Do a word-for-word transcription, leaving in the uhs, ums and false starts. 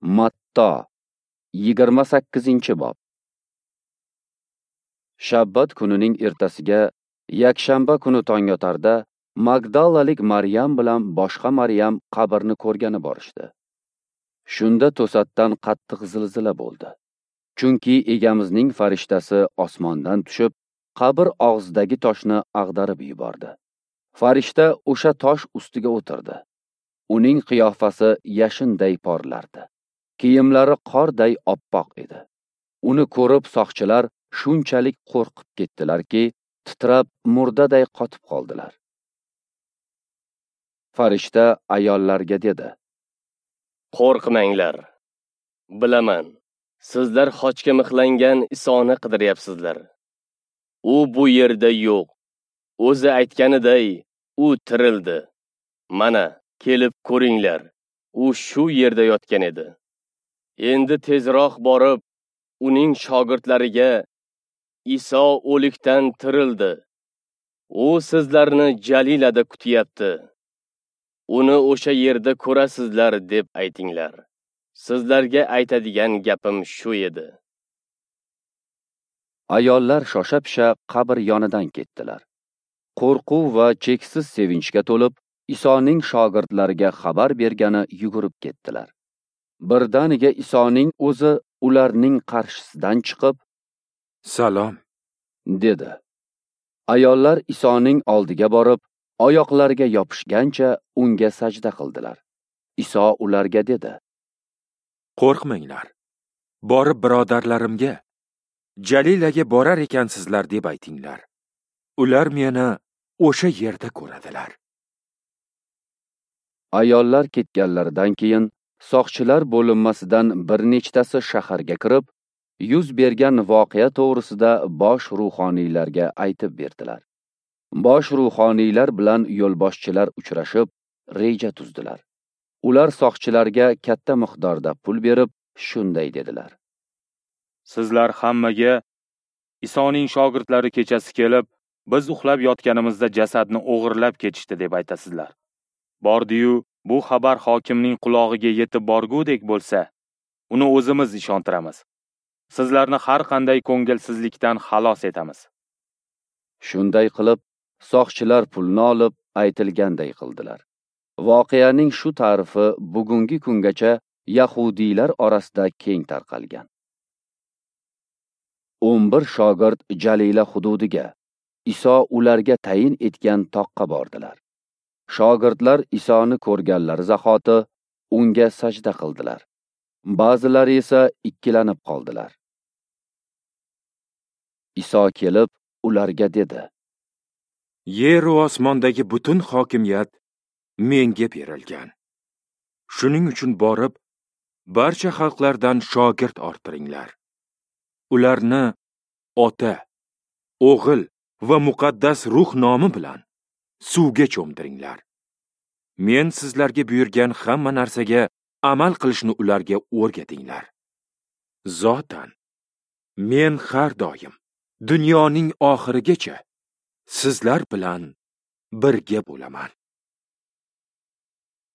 Matto, yigirma sakkizinchi bob. Shabbat kunining ertasiga, yakshanba kuni tong otarda, Magdalalik Maryam bilan boshqa Maryam qabrni ko'rgani borishdi. Shunda to'satdan qattiq zilzila bo'ldi. Chunki Egamizning farishtasi osmondan tushib, qabr og'zidagi toshni ag'darib yubordi. Farishta o'sha tosh ustiga o'tirdi. Uning qiyofasi yashinday porlardi. Kiyimlari qorday oppoq edi. Uni ko'rib soqchilar shunchalik qo'rqib ketdilarki, titrab murdaday qotib qoldilar. Farishta ayollarga dedi: Qo'rqmanglar. Bilaman, sizlar xochga mixlangan Isoni qidiryapsizlar. U bu yerda yo'q. O'zi aytganiday, u tirildi. Mana, kelib ko'ringlar. U shu yerda yotgan edi. Endi tezroq borib, uning shogirdlariga Iso o'likdan tirildi. U sizlarni Jalilada kutyapti. Uni o'sha yerda ko'rasizlar deb aytinglar. Sizlarga aytadigan gapim shu edi. Ayollar shosha-pisha qabr yonidan ketdilar. Qo'rquv va cheksiz sevinchga to'lib, Isoning shogirdlariga xabar bergani yugurib ketdilar. Birdaniga Isoning o'zi ularning qarshisidan chiqib, "Salom" dedi. Ayollar Isoning oldiga borib, oyoqlariga yopishgancha unga sajda qildilar. Iso ularga dedi: Qo'rqmanglar. Borib birodarlarimga Jalilaga borar ekansizlar deb aytinglar. Ular meni o'sha yerda ko'radilar. Ayollar ketganlaridan keyin soqchilar bo'linmasidan bir nechtasi shaharga kirib, yuz bergan voqea to'g'risida bosh ruhoniylarga aytib berdilar. Bosh ruhoniylar bilan yo'lboshchilar uchrashib, reja tuzdilar. Ular soqchilarga katta miqdorda pul berib, shunday dedilar: Sizlar hammaga Isoning shogirdlari kechasi kelib, biz uxlab yotganimizda jasadni o'g'irlab ketishdi deb aytasizlar. Bordi-yu, bu xabar hokimning qulog'iga yetib borgudek bo'lsa, uni o'zimiz ishontiramiz. Sizlarni har qanday ko'ngilsizlikdan xalos etamiz. Shunday qilib, soqchilar pulni olib, aytilganday qildilar. Voqeaning shu ta'rifi bugungi kungacha yahudiylar orasida keng tarqalgan. o'n bir shogird Jalila hududiga, Iso ularga tayin etgan toqqa bordilar. Shogirdlar Isoni ko'rganlari zahoti unga sajda qildilar. Ba'zilari esa ikkilanib qoldilar. Iso kelib ularga dedi: Yer va osmondagi butun hokimiyat menga berilgan. Shuning uchun borib, barcha xalqlardan shogird orttiringlar. Ularni Ota, O'g'il va Muqaddas Ruh nomi bilan suvga cho'mdiringlar. Men sizlarga buyurgan hamma narsaga amal qilishni ularga o'rgatinglar. Zotan, men har doim dunyoning oxirigacha sizlar bilan birga bo'laman.